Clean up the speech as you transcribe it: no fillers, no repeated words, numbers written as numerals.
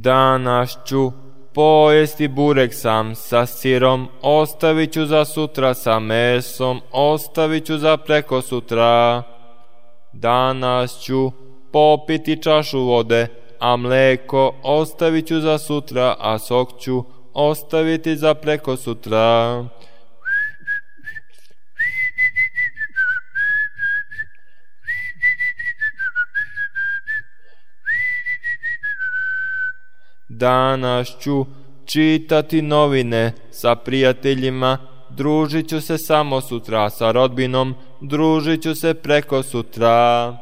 Danas ću pojesti burek sam sa sirom, ostavit ću za sutra sa mesom, ostavit ću za preko sutra. Danas ću popiti čašu vode, a mleko ostavit ću za sutra, a sok ću ostaviti za preko sutra. Danas ću čitati novine sa prijateljima, družit ću se samo sutra sa rodbinom, družit ću se preko sutra.